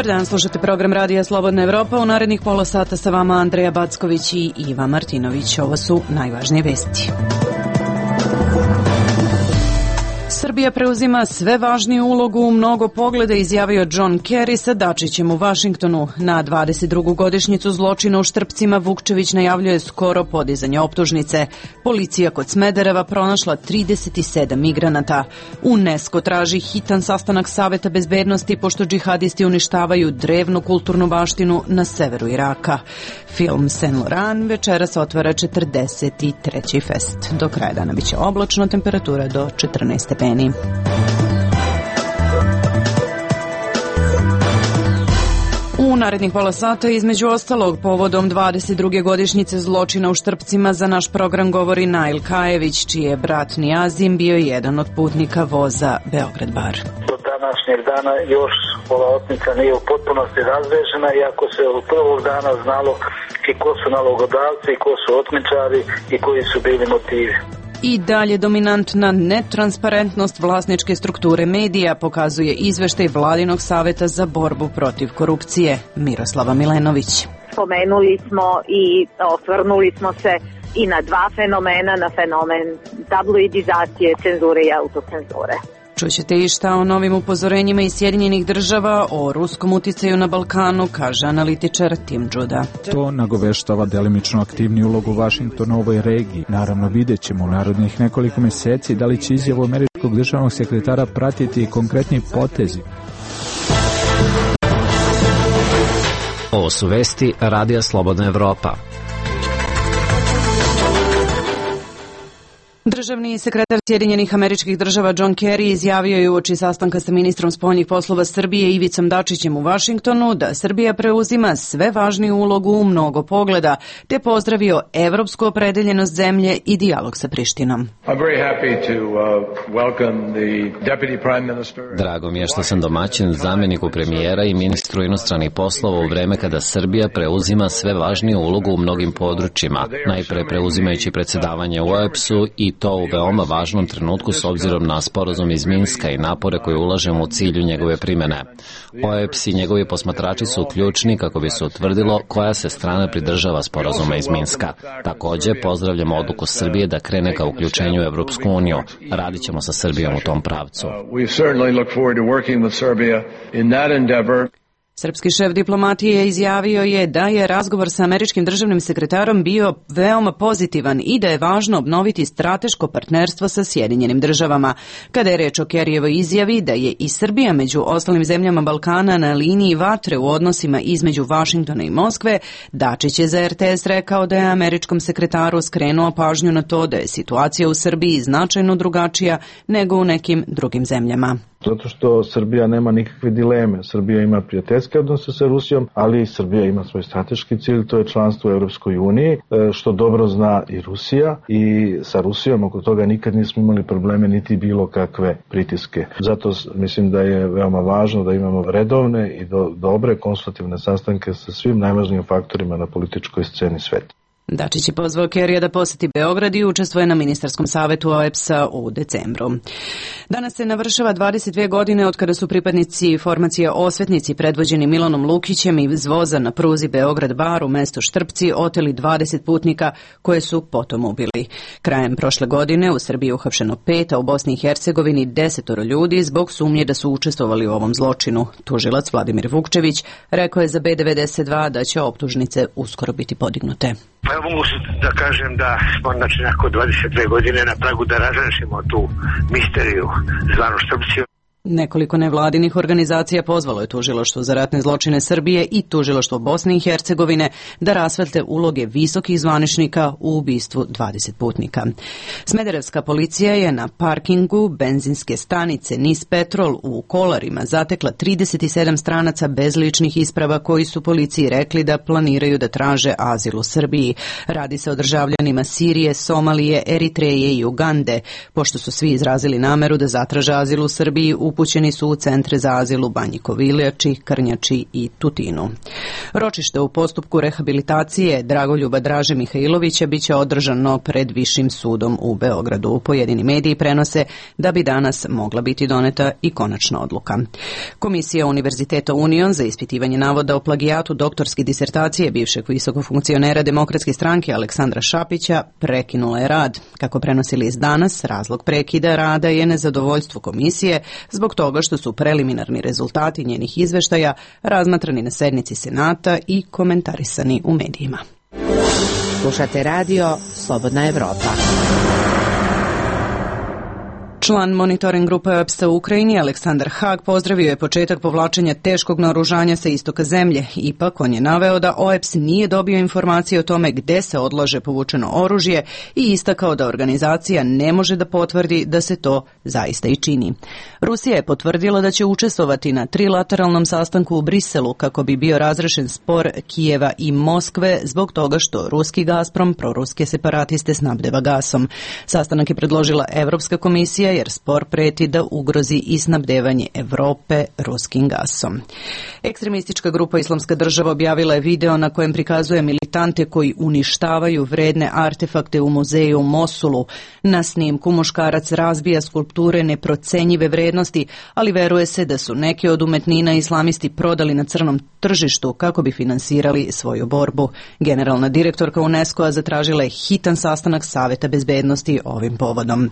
Dobar dan, slušate program Radija Slobodna Evropa. U narednih pola sata sa vama Andreja Backović i Iva Martinović. Ovo su najvažnije vesti. Srbija preuzima sve važniju ulogu u mnogo pogleda, izjavio John Kerry sa Dačićem u Vašingtonu. Na 22. godišnjicu zločina u Štrpcima Vukčević najavljuje skoro podizanje optužnice. Policija kod Smedereva pronašla 37 migranata. UNESCO traži hitan sastanak Saveta bezbednosti pošto džihadisti uništavaju drevnu kulturnu baštinu na severu Iraka. Film Saint Laurent večeras otvara 43. fest. Do kraja dana biće oblačno, temperatura do 14 stepeni. U narednih pola sata, između ostalog, povodom 22. godišnjice zločina u Štrpcima, za naš program govori Nail Kajević, čiji je brat Nijazim bio jedan od putnika voza Beograd-Bar. Do današnjeg dana još ova otmica nije u potpunosti razrešena, iako se od prvog dana znalo i ko su nalogodavci, i ko su otmičari i koji su bili motivi. I dalje dominantna netransparentnost vlasničke strukture medija, pokazuje izveštaj Vladinog saveta za borbu protiv korupcije. Miroslava Milenović. Spomenuli smo i osvrnuli smo se i na dva fenomena, na fenomen tabloidizacije, cenzure i autocenzure. Čućete i šta o novim upozorenjima iz Sjedinjenih država o ruskom uticaju na Balkanu, kaže analitičar Tim Đuda. To nagoveštava delimično aktivni ulogu Vašingtona u ovoj regiji. Naravno, vidjet ćemo u narodnih nekoliko meseci da li će izjavu američkog državnog sekretara pratiti konkretni potezi. Ovo su vesti Radija Slobodna Evropa. Državni sekretar Sjedinjenih Američkih Država John Kerry izjavio je uoči sastanka sa ministrom spoljnih poslova Srbije Ivicom Dačićem u Vašingtonu da Srbija preuzima sve važniju ulogu u mnogo pogleda, te pozdravio evropsku opredeljenost zemlje i dijalog sa Prištinom. Drago mi je što sam domaćin zamjeniku premijera i ministru inostranih poslova u vreme kada Srbija preuzima sve važniju ulogu u mnogim područjima, najpre preuzimajući predsjedavanje u OEBS-u i to u veoma važnom trenutku s obzirom na sporazum iz Minska i napore koje ulažemo u cilju njegove primjene. OEBS i njegovi posmatrači su ključni kako bi se utvrdilo koja se strana pridržava sporazuma iz Minska. Također pozdravljamo odluku Srbije da krene ka uključenju u Evropsku uniju. Radit ćemo sa Srbijom u tom pravcu. Srpski šef diplomatije izjavio je da je razgovor sa američkim državnim sekretarom bio veoma pozitivan i da je važno obnoviti strateško partnerstvo sa Sjedinjenim državama. Kada je reč o Kerryjevoj izjavi da je i Srbija među ostalim zemljama Balkana na liniji vatre u odnosima između Vašingtona i Moskve, Dačić je za RTS rekao da je američkom sekretaru skrenuo pažnju na to da je situacija u Srbiji značajno drugačija nego u nekim drugim zemljama. Zato što Srbija nema nikakve dileme. Srbija ima prijateljske odnose sa Rusijom, ali Srbija ima svoj strateški cilj, to je članstvo u Europskoj uniji, što dobro zna i Rusija, i sa Rusijom oko toga nikad nismo imali probleme niti bilo kakve pritiske. Zato mislim da je veoma važno da imamo redovne i dobre konstruktivne sastanke sa svim najvažnijim faktorima na političkoj sceni sveta. Dačić je pozvao Kerryja da poseti Beograd i učestvuje na ministarskom savetu OEBS-a u decembru. Danas se navršava 22 godine od kada su pripadnici formacije Osvetnici predvođeni Milanom Lukićem iz voza na pruzi Beograd-Bar u mestu Štrpci oteli 20 putnika koje su potom ubili. Krajem prošle godine u Srbiji je uhapšeno 5, a u Bosni i Hercegovini 10 ljudi zbog sumnje da su učestvovali u ovom zločinu. Tužilac Vladimir Vukčević rekao je za B92 da će optužnice uskoro biti podignute. Pa ja mogu da kažem da smo nakon 22 godine na pragu da razrešimo tu misteriju zvanu Štrpci. Nekoliko nevladinih organizacija pozvalo je Tužilaštvo za ratne zločine Srbije i Tužilaštvo Bosne i Hercegovine da rasvetle uloge visokih zvaničnika u ubistvu 20 putnika. Smederevska policija je na parkingu benzinske stanice Nis Petrol u Kolarima zatekla 37 stranaca bez ličnih isprava koji su policiji rekli da planiraju da traže azil u Srbiji. Radi se o državljanima Sirije, Somalije, Eritreje i Ugande, pošto su svi izrazili nameru da zatraže azil u Srbiji u upućeni su u centre za azil u Banji Koviljači, Krnjači i Tutinu. Ročište u postupku rehabilitacije Dragoljuba Draže Mihajlovića biće održano pred Višim sudom u Beogradu. Pojedini mediji prenose da bi danas mogla biti doneta i konačna odluka. Komisija Univerziteta Union za ispitivanje navoda o plagijatu doktorske disertacije bivšeg visokog funkcionera Demokratske stranke Aleksandra Šapića prekinula je rad. Kako prenosi list Danas, razlog prekida rada je nezadovoljstvo komisije zbog toga što su preliminarni rezultati njenih izveštaja razmatrani na sednici Senata i komentarisani u medijima. Slušate radio Slobodna Evropa. Član monitoring grupe OEBS-a u Ukrajini Aleksandar Hag pozdravio je početak povlačenja teškog naoružanja sa istoka zemlje. Ipak on je naveo da OEBS nije dobio informacije o tome gde se odlaže povučeno oružje i istakao da organizacija ne može da potvrdi da se to zaista i čini. Rusija je potvrdila da će učestvovati na trilateralnom sastanku u Briselu kako bi bio razrešen spor Kijeva i Moskve zbog toga što ruski Gazprom proruske separatiste snabdeva gasom. Sastanak je predložila Evropska komisija jer spor preti da ugrozi i snabdevanje Evrope ruskim gasom. Ekstremistička grupa Islamska država objavila je video na kojem prikazuje militante koji uništavaju vredne artefakte u muzeju u Mosulu. Na snimku muškarac razbija skulpture neprocenjive vrednosti, ali veruje se da su neke od umetnina islamisti prodali na crnom tržištu kako bi finansirali svoju borbu. Generalna direktorka UNESCO-a zatražila je hitan sastanak Saveta bezbednosti ovim povodom.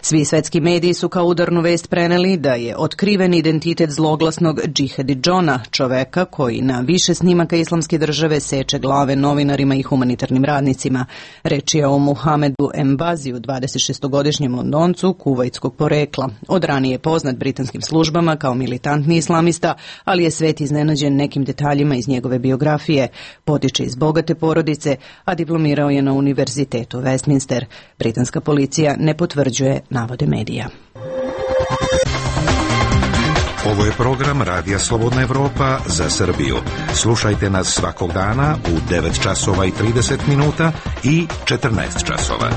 Svi svetski mediji su kao udarnu vest preneli da je otkriven identitet zloglasnog Džihadi Džona, čoveka koji na više snimaka Islamske države seče glave novinarima i humanitarnim radnicima. Reč je o Muhamedu Embaziju, 26-godišnjem Londoncu kuvajtskog porekla. Od ranije poznat britanskim službama kao militantni islamista, ali je svet iznenađen nekim detaljima iz njegove biografije. Potiče iz bogate porodice, a diplomirao je na Univerzitetu Westminster. Britanska policija ne potvrđuje navode medija. Ovo je program Radija Slobodna Evropa za Srbiju. Slušajte nas svakog dana u 9 časova i 30 minuta i 14 časova.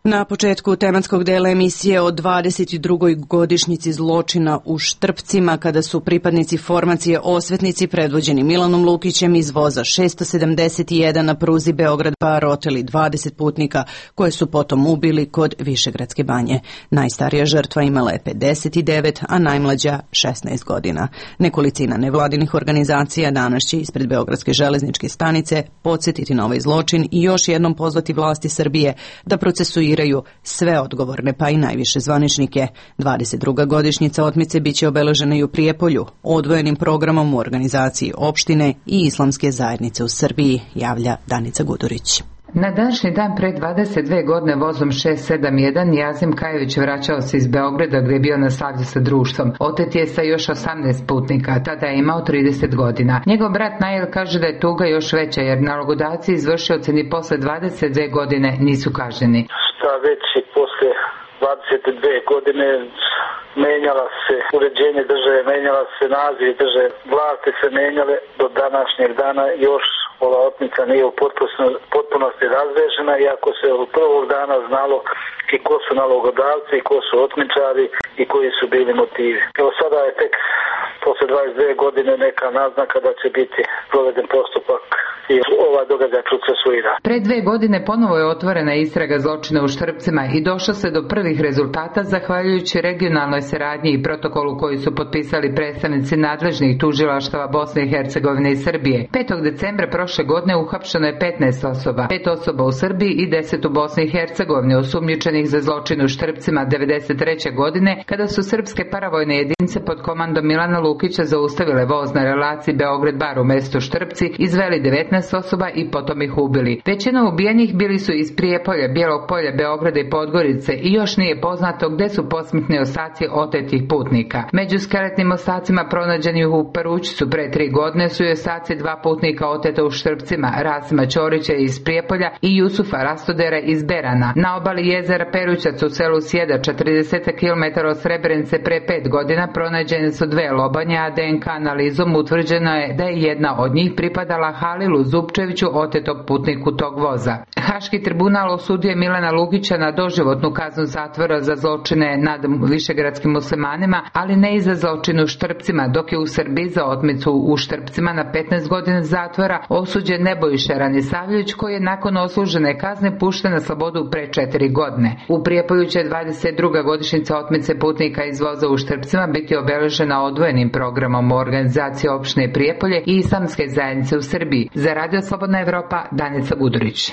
Na početku tematskog dela emisije o 22. godišnjici zločina u Štrpcima, kada su pripadnici formacije Osvetnici predvođeni Milanom Lukićem iz voza 671 na pruzi Beograd-Bar oteli 20 putnika koje su potom ubili kod Višegradske banje. Najstarija žrtva imala je 59, a najmlađa 16 godina. Nekolicina nevladinih organizacija danas će ispred Beogradske železničke stanice podsjetiti na ovaj zločin i još jednom pozvati vlasti Srbije da procesuiraju sve odgovorne pa i najviše zvaničnike. 22. godišnjica otmice biće obeležena i u Prijepolju, odvojenim programom u organizaciji opštine i islamske zajednice u Srbiji, javlja Danica Gudurić. Na današnji dan pre 22 godine vozom 671 Jazim Kajović vraćao se iz Beograda gdje je bio na slavlju sa društvom. Otet je sa još 18 putnika, tada je imao 30 godina. Njegov brat Najel kaže da je tuga još veća jer nalogodavci i izvršioci ni posle 22 godine nisu kažnjeni. Šta već i posle 22 godine menjala se uređenje države, menjala se naziv države, vlasti se menjale, do današnjeg dana još ova otmica nije u potpunosti razrešena, iako se od prvog dana znalo i ko su nalogodavci, i ko su otmičari i koji su bili motivi. Evo sada je tek posle 22 godine neka naznaka da će biti proveden postupak i ova događaj procesuira. Pre 2 godine ponovo je otvorena istraga zločina u Štrpcima i došlo se do prvih rezultata zahvaljujući regionalnoj saradnji i protokolu koji su potpisali predstavnici nadležnih tužilaštava Bosne i Hercegovine i Srbije. 5. decembra prošle godine uhapšeno je 15 osoba, 5 osoba u Srbiji i 10 u Bosni i Hercegovini, osumnjičenih za zločin u Štrpcima 1993. godine, kada su srpske paravojne jedinice pod komandom Milana Lukića zaustavile voz na relaciji Beograd-Bar u mestu Štrpci, izveli 19 osoba i potom ih ubili. Većina ubijenih bili su iz Prijepolja, Bijelog Polja, Beograda i Podgorice i još nije poznato gde su posmrtni ostaci otetih putnika. Među skeletnim ostacima pronađenih u Perućcu pre 3 godine su i ostaci 2 putnika oteta u Štrpcima, Rasima Ćorića iz Prijepolja i Jusufa Rastodera iz Berana. Na obali jezera Perućac u selu Sjeda, 40 km od Srebrenice, pre 5 godina pronađene su 2 lobanje, a DNK analizom utvrđeno je da je jedna od njih pripadala Halilu Milu Zupčeviću, otetog putniku tog voza. Haški tribunal osudio je Milana Lukića na doživotnu kaznu zatvora za zločine nad višegradskim muslimanima, ali ne i za zločin u Štrpcima, dok je u Srbiji za otmicu u Štrpcima na 15 godina zatvora osuđen Nebojša Ranisavljević, koji je nakon odslužene kazne pušten na slobodu pre 4 godine. U Prijepolju će 22. godišnjica otmice putnika iz voza u Štrpcima biti obeležena odvojenim programom organizacije opštine Prijepolje i islamske zajednice u Srbiji. Za Radio Slobodna Evropa, Danica Budurić.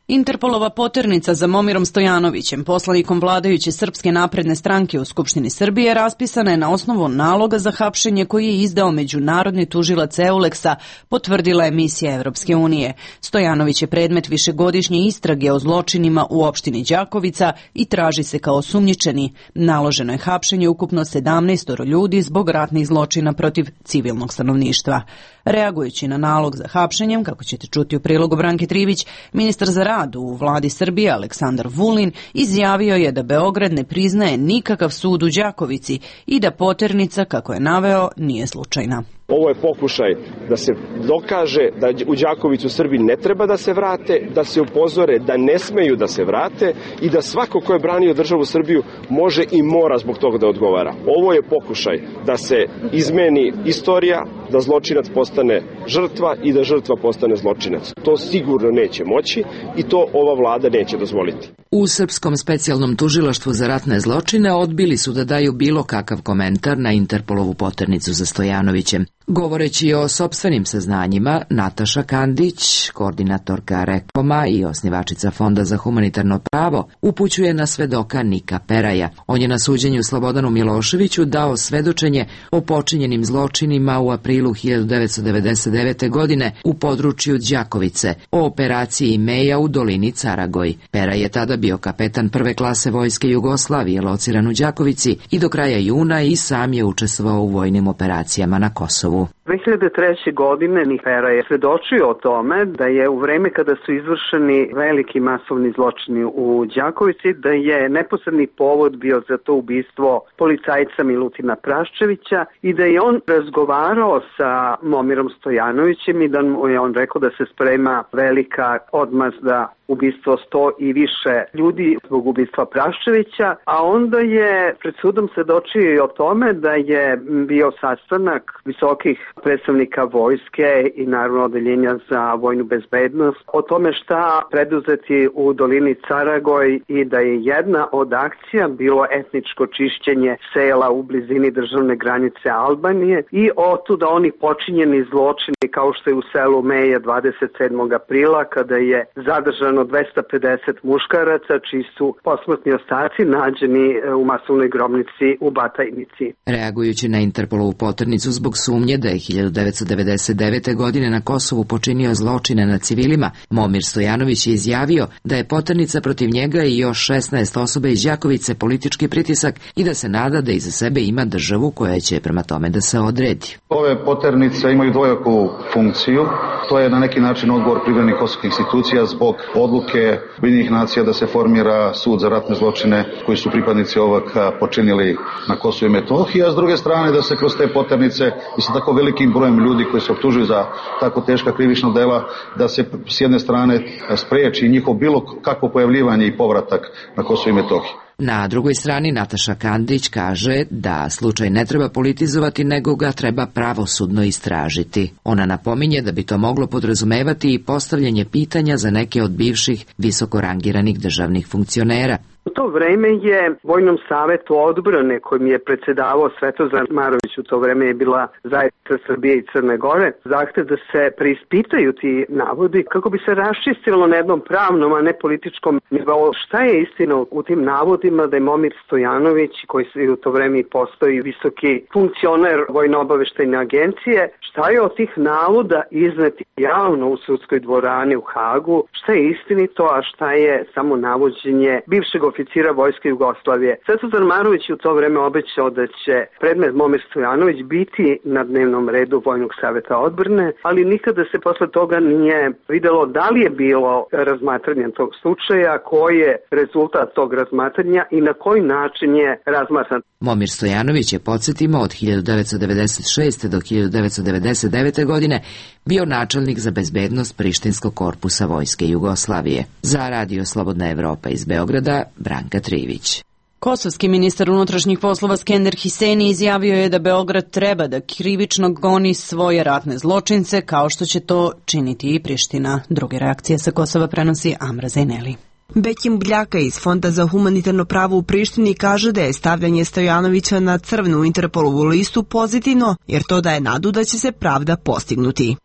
Interpolova poternica za Momirom Stojanovićem, poslanikom vladajuće Srpske napredne stranke u Skupštini Srbije, raspisana je na osnovu naloga za hapšenje koji je izdao međunarodni tužilac Euleksa, potvrdila je misija Evropske unije. Stojanović je predmet višegodišnje istrage o zločinima u opštini Đakovica i traži se kao osumnjičeni. Naloženo je hapšenje ukupno 17 ljudi zbog ratnih zločina protiv civilnog stanovništva. Reagujući na nalog za hapšenjem, kako ćete čuti u prilogu Branke Trivić, ministar za rad u vladi Srbije Aleksandar Vulin izjavio je da Beograd ne priznaje nikakav sud u Đakovici i da poternica, kako je naveo, nije slučajna. Ovo je pokušaj da se dokaže da u Đakovicu Srbi ne treba da se vrate, da se upozore da ne smeju da se vrate i da svako ko je branio državu Srbiju može i mora zbog toga da odgovara. Ovo je pokušaj da se izmeni istorija, da zločinac postane žrtva i da žrtva postane zločinac. To sigurno neće moći i to ova vlada neće dozvoliti. U Srpskom specijalnom tužilaštvu za ratne zločine odbili su da daju bilo kakav komentar na Interpolovu poternicu za Stojanovićem. Govoreći o sopstvenim saznanjima, Nataša Kandić, koordinatorka Rekoma i osnivačica Fonda za humanitarno pravo, upućuje na svedoka Nika Peraja. On je na suđenju Slobodanu Miloševiću dao svedočenje o počinjenim zločinima u aprilu 1999. godine u području Đakovice, o operaciji Meja u dolini Caragoj. Peraj je tada bio kapetan prve klase vojske Jugoslavije, lociran u Đakovici, i do kraja juna i sam je učestvovao u vojnim operacijama na Kosovu. 2003. godine Pera je svedočio o tome da je u vreme kada su izvršeni veliki masovni zločini u Đakovici, da je neposredni povod bio za to ubistvo policajca Milutina Praščevića i da je on razgovarao sa Momirom Stojanovićem i da mu je on rekao da se sprema velika odmazda, ubistvo 100 i više ljudi zbog ubistva Praščevića, a onda je pred sudom svedočio i o tome da je bio sastanak visokih predstavnika vojske i naravno odeljenja za vojnu bezbednost o tome šta preduzeti u dolini Caragoj i da je jedna od akcija bilo etničko čišćenje sela u blizini državne granice Albanije i otuda oni počinjeni zločini kao što je u selu Meja 27. aprila kada je zadržano 250 muškaraca čiji su posmrtni ostaci nađeni u masovnoj grobnici u Batajnici. Reagujući na Interpolovu poternicu zbog sumnje da je 1999. godine na Kosovu počinio zločine nad civilima, Momir Stojanović je izjavio da je poternica protiv njega i još 16 osoba iz Đakovice politički pritisak i da se nada da iza sebe ima državu koja će prema tome da se odredi. Ove poternice imaju dvojaku funkciju. To je na neki način odgovor privremenih kosovskih institucija zbog odluke Ujedinjenih nacija da se formira sud za ratne zločine koji su pripadnici ovog počinili na Kosovu i Metohiji, a s druge strane da se kroz te poternice i sa tako velikim brojem ljudi koji se optužuju za tako teška krivična dela, da se s jedne strane spreči njihov bilo kakvo pojavljivanje i povratak na Kosovo i Metohiju. Na drugoj strani Nataša Kandić kaže da slučaj ne treba politizovati, nego ga treba pravosudno istražiti. Ona napominje da bi to moglo podrazumevati i postavljanje pitanja za neke od bivših visoko rangiranih državnih funkcionera. U to vreme je Vojnom savetu odbrane kojim je predsedavao Svetozar Marović, u to vreme je bila zajednica Srbije i Crne Gore, zahtev da se preispitaju ti navodi kako bi se raščistilo na jednom pravnom, a ne političkom nivou. Šta je istina u tim navodima da je Momir Stojanović, koji u to vreme postoji visoki funkcioner Vojno-obaveštajne agencije, šta je od tih navoda izneti javno u sudskoj dvorani u Hagu, šta je istinito, a šta je samo navođenje bivšeg oficira oficira Vojske Jugoslavije. Sveto Zarmarović u to vreme obećao da će predmet Momir Stojanović biti na dnevnom redu Vojnog saveta odbrane, ali nikada se posle toga nije videlo da li je bilo razmatranje tog slučaja, koji je rezultat tog razmatranja i na koji način je razmatran. Momir Stojanović je, podsjetimo, od 1996. do 1999. godine bio načelnik za bezbednost Prištinskog korpusa Vojske Jugoslavije. Za Radio Slobodna Evropa iz Beograda, Branka Trivić. Kosovski ministar unutrašnjih poslova Skender Hiseni izjavio je da Beograd treba da krivično goni svoje ratne zločince, kao što će to činiti i Priština. Druge reakcije sa Kosova prenosi Amra Zajneli. Bekim Bljaka iz Fonda za humanitarno pravo u Prištini kaže da je stavljanje Stojanovića na crvenu Interpolovu listu pozitivno, jer to daje nadu da će se pravda postignuti.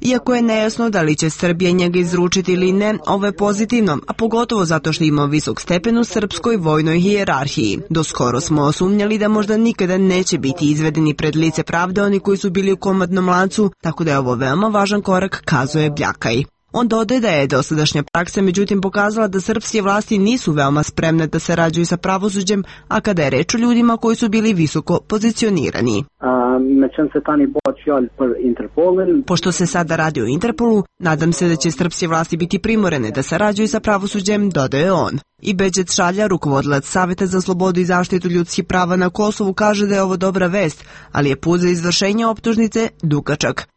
Iako je nejasno da li će Srbija njega izručiti ili ne, ovo je pozitivno, a pogotovo zato što ima visok stepen u srpskoj vojnoj hijerarhiji. Doskoro smo osumnjali da možda nikada neće biti izvedeni pred lice pravde oni koji su bili u komandnom lancu, tako da je ovo veoma važan korak, kazuje Bljakaj. On dodaje da je dosadašnja praksa međutim pokazala da srpske vlasti nisu veoma spremne da sarađuju sa pravosuđem, a kada je reč o ljudima koji su bili visoko pozicionirani. Pošto se sada radi o Interpolu, nadam se da će srpske vlasti biti primorene da sarađuju sa pravosuđem, dodaje on. I Beđet Šalja, rukovodilac Saveta za slobodu i zaštitu ljudskih prava na Kosovu, kaže da je ovo dobra vest, ali je put za izvršenje optužnice dugačak.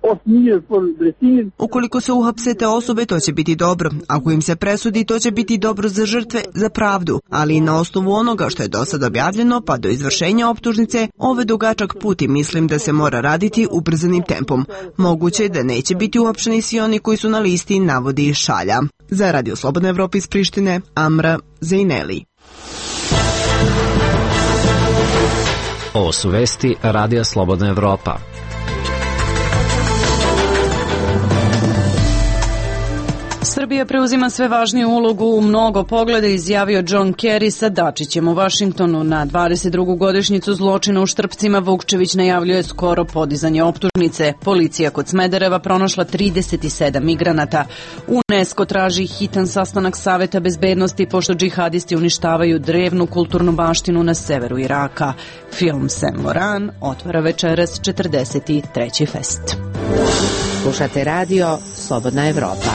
Ukoliko se uhapse te osobe, to će biti dobro. Ako im se presudi, to će biti dobro za žrtve, za pravdu. Ali i na osnovu onoga što je do sad objavljeno, pa do izvršenja optužnice, ovo je dugačak put i mislim da se mora raditi ubrzanim tempom. Moguće je da neće biti uhapšeni svi oni koji su na listi, navodi Šalja. Za Radio Slobodna Evropa iz Prištine, Amra Zajneli. Ovo su vesti Radija Slobodna Evropa. Srbija preuzima sve važniju ulogu u mnogo pogleda, izjavio John Kerry sa Dačićem u Vašingtonu. Na 22. godišnjicu zločina u Štrpcima Vukčević najavljuje skoro podizanje optužnice. Policija kod Smedereva pronašla 37 migranata. UNESCO traži hitan sastanak Saveta bezbednosti pošto džihadisti uništavaju drevnu kulturnu baštinu na severu Iraka. Film Saint Moran otvara večeras 43. fest. Slušate radio Slobodna Evropa.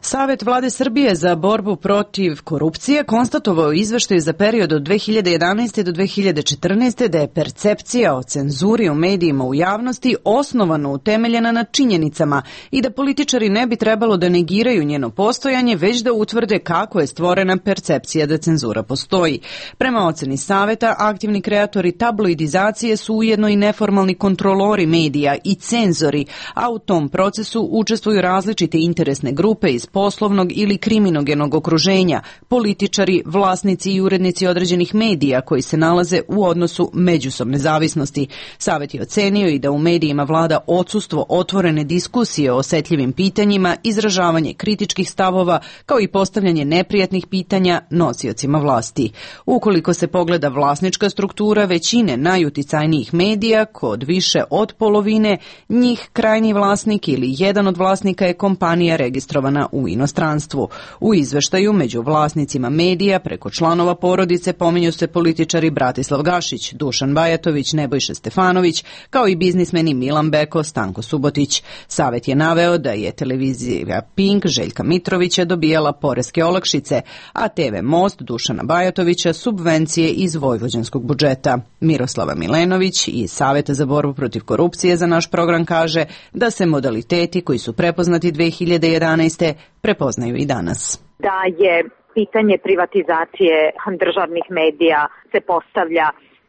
Savet Vlade Srbije za borbu protiv korupcije konstatovao izveštaju za period od 2011. do 2014. da je percepcija o cenzuri u medijima u javnosti osnovano utemeljena na činjenicama i da političari ne bi trebalo da negiraju njeno postojanje, već da utvrde kako je stvorena percepcija da cenzura postoji. Prema oceni Saveta, aktivni kreatori tabloidizacije su ujedno i neformalni kontrolori medija i cenzori, a u tom procesu učestvuju različite interesne grupe iz poslovnog ili kriminogenog okruženja, političari, vlasnici i urednici određenih medija koji se nalaze u odnosu međusobne zavisnosti. Savet je ocenio i da u medijima vlada odsustvo otvorene diskusije o osetljivim pitanjima, izražavanje kritičkih stavova, kao i postavljanje neprijatnih pitanja nosiocima vlasti. Ukoliko se pogleda vlasnička struktura većine najuticajnijih medija, kod više od polovine njih krajnji vlasnik ili jedan od vlasnika je kompanija registrovana u inostranstvu. U izveštaju među vlasnicima medija preko članova porodice pominju se političari Bratislav Gašić, Dušan Bajatović, Nebojša Stefanović, kao i biznismeni Milan Beko, Stanko Subotić. Savet je naveo da je televizija Pink Željka Mitrovića dobijala poreske olakšice, a TV Most Dušana Bajatovića subvencije iz vojvođanskog budžeta. Miroslava Milenović iz Saveta za borbu protiv korupcije za naš program kaže da se modaliteti koji su prepoznati 2011. prepoznaju i danas. Da je pitanje privatizacije državnih medija se postavlja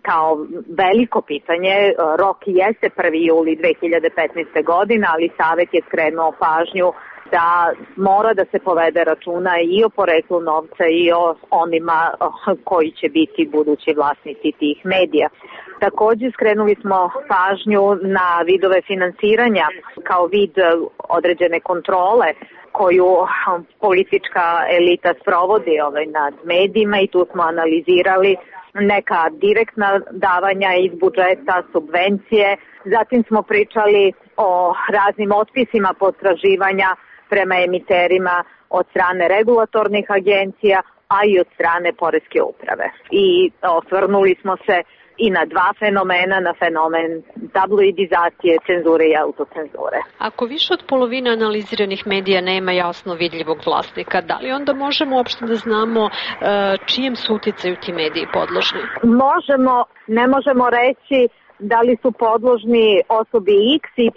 kao veliko pitanje. Rok jeste 1. juli 2015. godine, ali Savet je skrenuo pažnju da mora da se povede računa i o poreklu novca i o onima koji će biti budući vlasnici tih medija. Također skrenuli smo pažnju na vidove finansiranja kao vid određene kontrole koju politička elita sprovodi nad medijima i tu smo analizirali neka direktna davanja iz budžeta, subvencije. Zatim smo pričali o raznim otpisima potraživanja prema emiterima od strane regulatornih agencija, a i od strane poreske uprave. I osvrnuli smo se i na dva fenomena, na fenomen tabloidizacije, cenzure i autocenzure. Ako više od polovine analiziranih medija nema jasno vidljivog vlasnika, da li onda možemo uopšte da znamo čijem su uticaju ti mediji podložni? Ne možemo reći da li su podložni osobi X, Y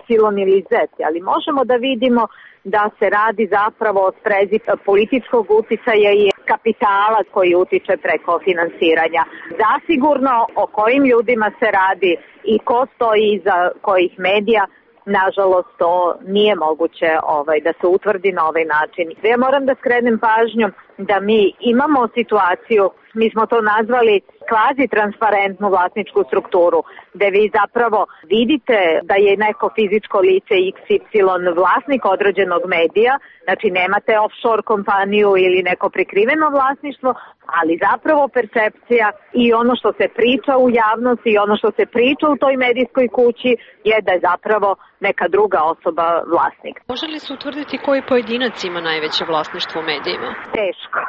ili Z, ali možemo da vidimo da se radi zapravo o sprezi političkog uticaja i kapitala koji utiče preko finansiranja. Zasigurno o kojim ljudima se radi i ko stoji iza kojih medija, nažalost to nije moguće da se utvrdi na ovaj način. Ja moram da skrenem pažnju da mi imamo situaciju, mi smo to nazvali kvazi transparentnu vlasničku strukturu, gde vi zapravo vidite da je neko fizičko lice XY vlasnik određenog medija, znači nemate offshore kompaniju ili neko prikriveno vlasništvo, ali zapravo percepcija i ono što se priča u javnosti i ono što se priča u toj medijskoj kući je da je zapravo neka druga osoba vlasnik. Može li se utvrditi koji pojedinac ima najveće vlasništvo u medijima? Teško,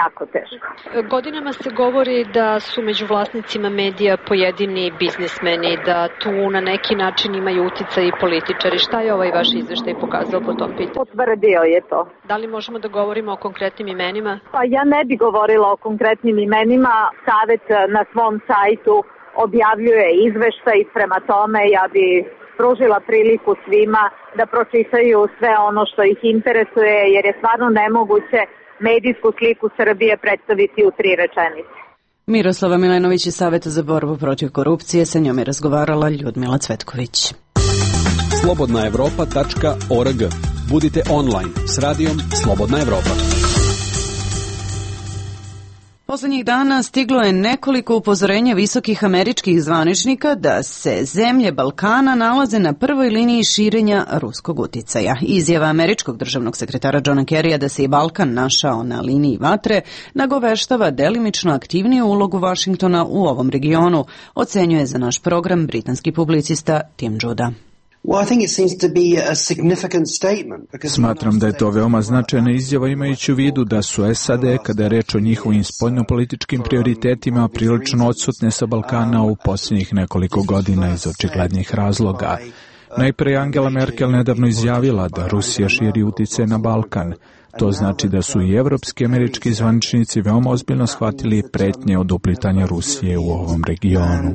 jako teško. Godinama se govori da su među vlasnicima medija pojedini biznismeni, da tu na neki način imaju uticaj i političari. Šta je ovaj vaš izveštaj pokazao po tom pitanju? Potvrdio je to. Da li možemo da govorimo o konkretnim imenima? Pa ja ne bi govorila o konkretnim imenima. Savet na svom sajtu objavljuje izveštaj, prema tome ja bi pružila priliku svima da pročitaju sve ono što ih interesuje, jer je stvarno nemoguće medijsku sliku Srbije predstaviti u 3 rečenice. Miroslava Milenović iz Saveta za borbu protiv korupcije, sa njom je razgovarala Ljudmila Cvetković. slobodnaevropa.org. Budite online s radijom Slobodna Evropa. Poslednjih dana stiglo je nekoliko upozorenja visokih američkih zvaničnika da se zemlje Balkana nalaze na prvoj liniji širenja ruskog uticaja. Izjava američkog državnog sekretara Johna Kerrya da se i Balkan našao na liniji vatre nagoveštava delimično aktivniju ulogu Vašingtona u ovom regionu, ocenjuje za naš program britanski publicista Tim Judah. Smatram da je to veoma značajna izjava imajući u vidu da su SAD, kada je reč o njihovim spoljnopolitičkim prioritetima, prilično odsutne sa Balkana u posljednjih nekoliko godina iz očiglednih razloga. Najpre je Angela Merkel nedavno izjavila da Rusija širi utice na Balkan. To znači da su i evropski američki zvaničnici veoma ozbiljno shvatili pretnje od uplitanja Rusije u ovom regionu.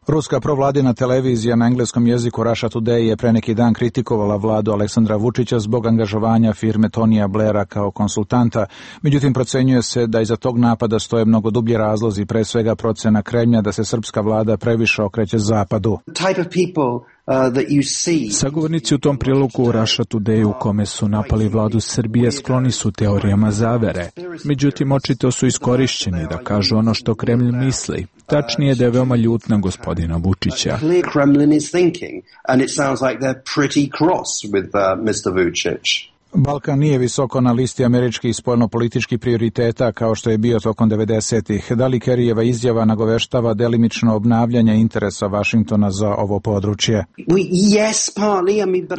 Ruska provladina televizija na engleskom jeziku Russia Today je pre neki dan kritikovala vladu Aleksandra Vučića zbog angažovanja firme Tonija Blaira kao konsultanta. Međutim, procenjuje se da iza tog napada stoje mnogo dublji razlozi, pre svega procena Kremlja da se srpska vlada previše okreće zapadu. Sagovornici u tom prilogu u Russia Today u kome su napali vladu Srbije skloni su teorijama zavere. Međutim, očito su iskorišćeni da kažu ono što Kremlj misli. Tačnije da je veoma ljut na gospodina Vučića. Balkan nije visoko na listi američkih spoljnopolitičkih prioriteta kao što je bio tokom 90-ih. Da li Kerryjeva izjava nagoveštava delimično obnavljanje interesa Vašingtona za ovo područje?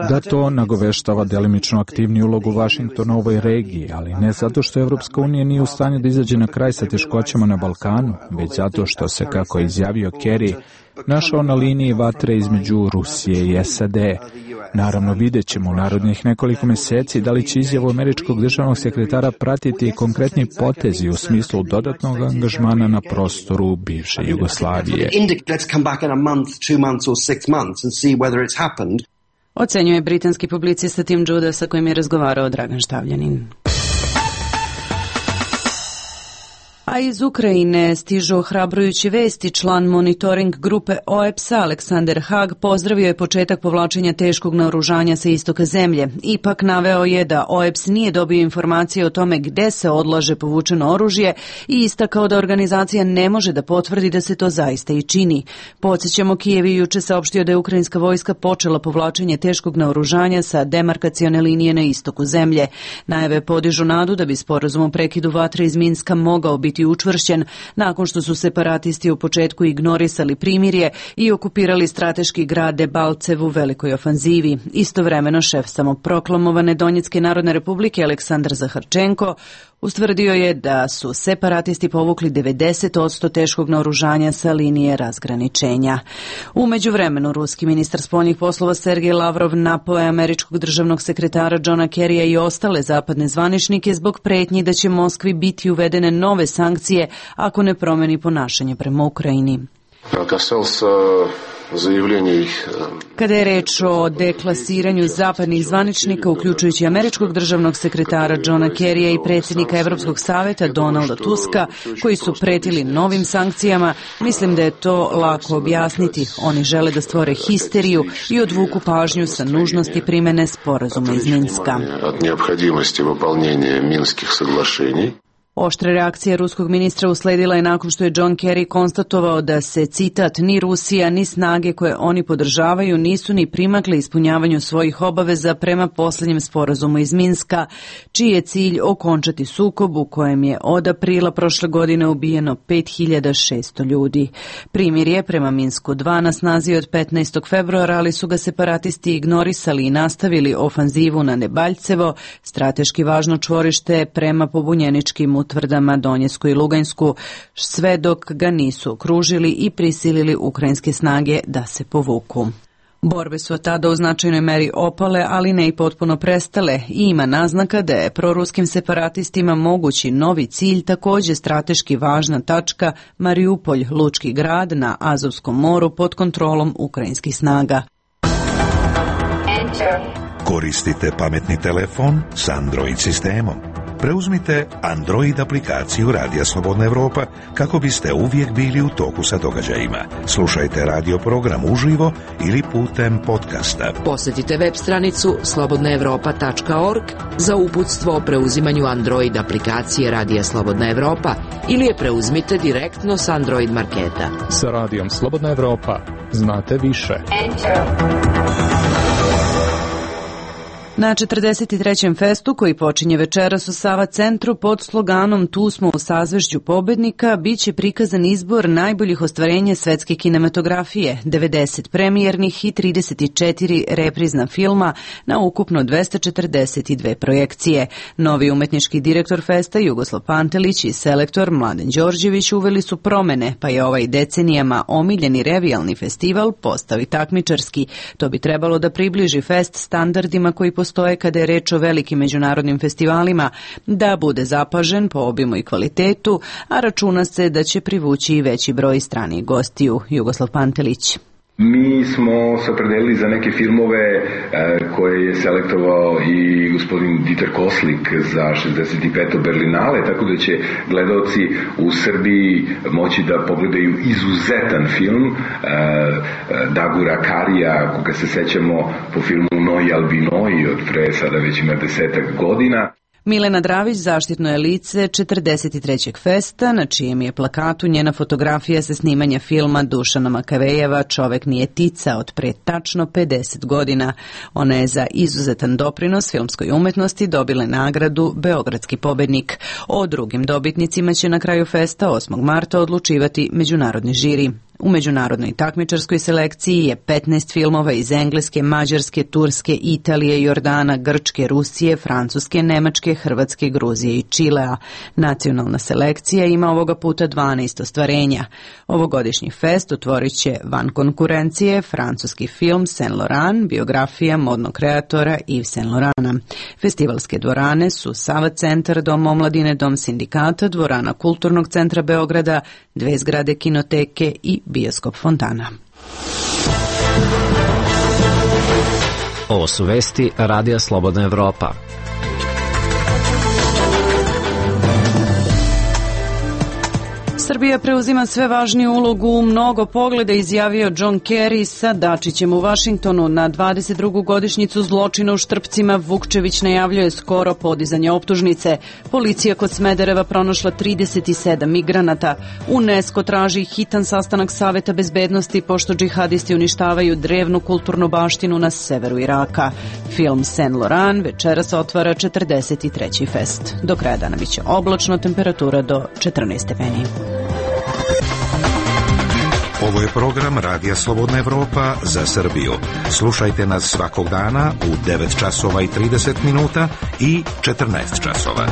Da, to nagoveštava delimično aktivniju ulogu Vašingtona u ovoj regiji, ali ne zato što Evropska unija nije u stanju da izađe na kraj sa teškoćama na Balkanu, već zato što se, kako je izjavio Kerry, našao na liniji vatre između Rusije i SAD. Naravno, vidjet ćemo u narednih nekoliko meseci da li će izjavu američkog državnog sekretara pratiti konkretni potezi u smislu dodatnog angažmana na prostoru bivše Jugoslavije. Ocenjuje britanski publicista Tim Judah, sa kojim je razgovarao Dragan Štavljanin. A iz Ukrajine stižu ohrabrujući vesti. Član monitoring grupe OEPS-a Aleksander Haag pozdravio je početak povlačenja teškog naoružanja sa istoka zemlje. Ipak naveo je da OEPS nije dobio informacije o tome gde se odlaže povučeno oružje i istakao da organizacija ne može da potvrdi da se to zaista i čini. Podsjećamo, Kijev je juče saopštio da je ukrajinska vojska počela povlačenje teškog naoružanja sa demarkacione linije na istoku zemlje. Najave podižu nadu da bi sporazum o prekidu vatre iz Minska mogao biti biti učvršćen nakon što su separatisti u početku ignorisali primirje i okupirali strateški grad Debalcev u velikoj ofanzivi. Istovremeno šef samoproklamovane Donjecke narodne republike Aleksandar Zaharčenko ustvrdio je da su separatisti povukli 90% teškog naoružanja sa linije razgraničenja. U međuvremenu, ruski ministar spoljnih poslova Sergej Lavrov napao je američkog državnog sekretara Johna Kerrya i ostale zapadne zvaničnike zbog pretnji da će Moskvi biti uvedene nove sankcije ako ne promeni ponašanje prema Ukrajini. Kada je reč o deklasiranju zapadnih zvaničnika, uključujući američkog državnog sekretara Johna Kerrya i predsjednika Evropskog saveta Donalda Tuska, koji su pretili novim sankcijama, mislim da je to lako objasniti. Oni žele da stvore histeriju i odvuku pažnju sa nužnosti primene sporazuma iz Minska. Oštra reakcija ruskog ministra usledila je nakon što je John Kerry konstatovao da se, citat, ni Rusija ni snage koje oni podržavaju nisu ni primakle ispunjavanju svojih obaveza prema posljednjem sporazumu iz Minska, čiji je cilj okončati sukob u kojem je od aprila prošle godine ubijeno 5600 ljudi. Primirje prema Minsku 2 na snazi od 15. februara, ali su ga separatisti ignorisali i nastavili ofanzivu na Debalcevo, strateški važno čvorište prema pobunjeničkim utvrdama Donjecku i Lugansku, sve dok ga nisu okružili i prisilili ukrajinske snage da se povuku. Borbe su od tada u značajnoj meri opale, ali ne i potpuno prestale i ima naznaka da je proruskim separatistima mogući novi cilj također strateški važna tačka Mariupolj, lučki grad na Azovskom moru pod kontrolom ukrajinskih snaga. Koristite pametni telefon s Android sistemom. Preuzmite Android aplikaciju Radija Slobodna Evropa kako biste uvijek bili u toku sa događajima. Slušajte radio program uživo ili putem podcasta. Posjetite web stranicu slobodnaevropa.org za uputstvo o preuzimanju Android aplikacije Radija Slobodna Evropa ili je preuzmite direktno s Android marketa. Sa Radijom Slobodna Evropa znate više. Na 43. festu, koji počinje večeras u Sava centru pod sloganom Tu smo u sazvežđu pobednika, bit će prikazan izbor najboljih ostvarenja svetske kinematografije, 90 premijernih i 34 reprizna filma na ukupno 242 projekcije. Novi umetnički direktor festa Jugoslav Pantelić i selektor Mladen Đorđević uveli su promene, pa je ovaj decenijama omiljeni revijalni festival postao i takmičarski. To bi trebalo da približi fest standardima koji postoje kada je reč o velikim međunarodnim festivalima, da bude zapažen po obimu i kvalitetu, a računa se da će privući i veći broj stranih gostiju. Jugoslav Pantelić. Mi smo se opredelili za neke filmove koje je selektovao i gospodin Dieter Koslik za 65. Berlinale, tako da će gledaoci u Srbiji moći da pogledaju izuzetan film Dagura Karija, koga se sećamo po filmu Noi Albinoi od pre sada već ima 10 godina. Milena Dravić zaštitno je lice 43. festa, na čijem je plakatu njena fotografija sa snimanja filma Dušana Makavejeva Čovek nije tica od pre tačno 50 godina. Ona je za izuzetan doprinos filmskoj umetnosti dobila nagradu Beogradski pobednik. O drugim dobitnicima će na kraju festa 8. marta odlučivati međunarodni žiri. U međunarodnoj takmičarskoj selekciji je 15 filmova iz Engleske, Mađarske, Turske, Italije, Jordana, Grčke, Rusije, Francuske, Nemačke, Hrvatske, Gruzije i Čilea. Nacionalna selekcija ima ovoga puta 12 ostvarenja. Ovogodišnji fest otvorit će van konkurencije francuski film Saint Laurent, biografija modnog kreatora Yves Saint Laurenta. Festivalske dvorane su Sava centar, Dom omladine, Dom sindikata, dvorana Kulturnog centra Beograda, 2 zgrade kinoteke i bioskop Fontana. Ovo su vesti Radija Slobodna Evropa. Srbija preuzima sve važniju ulogu u mnogo pogleda, izjavio John Kerry sa Dačićem u Vašingtonu. Na 22. godišnjicu zločina u Štrpcima Vukčević najavljuje skoro podizanje optužnice. Policija kod Smedereva pronašla 37 migranata. UNESCO traži hitan sastanak Saveta bezbednosti pošto džihadisti uništavaju drevnu kulturnu baštinu na severu Iraka. Film Saint Laurent večeras otvara 43. fest. Do kraja dana biće oblačno, temperatura do 14 stepeni. Ovo je program Radija Slobodna Evropa za Srbiju. Slušajte nas svakog dana u 9 časova i 30 minuta i 14 časova.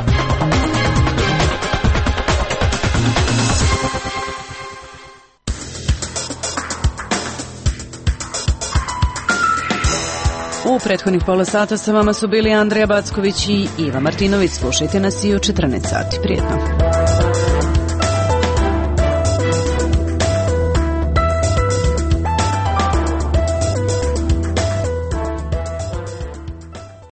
U prethodnih pola sata sa vama su bili Andreja Backović i Iva Martinović. Slušajte nas i u 14 sati. Prijetno.